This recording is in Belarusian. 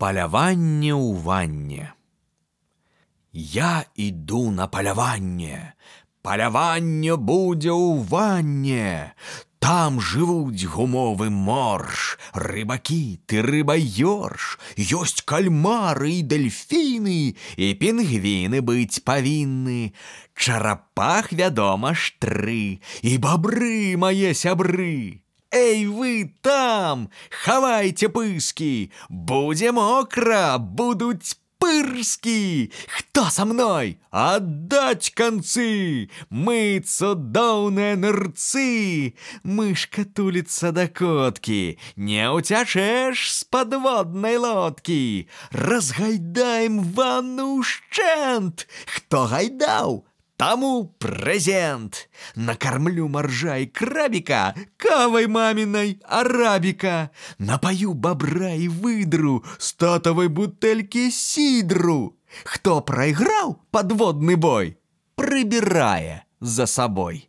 Паляванне ў ванне. Я іду на паляванне. Паляванне будзе ў ванне. Там жывуць гумовы морж, рыбакіты, рыбаёрш. Ёсць кальмары і дельфіны, і пінгвіны быць павінны. Чарапах, вядома ж, 3, і бабры, мае сябры. Эй, вы там, хавайце пыскі, будзе мокра, будуць пырскі. Хто са мной? Аддаць канцы, мы цудоўныя нырцы. Мышка туліцца да коткі, не ўцячэш з падводнай лодкі. Разгайдаем ванну ўшчэнт. Хто гайдаў? Таму прэзент. Накармлю маржа і крабіка кавай мамінай арабіка. Напаю бабра і выдру з татавай бутэлькі сідру. Хто прайграў падводны бой, прыбірае за сабой.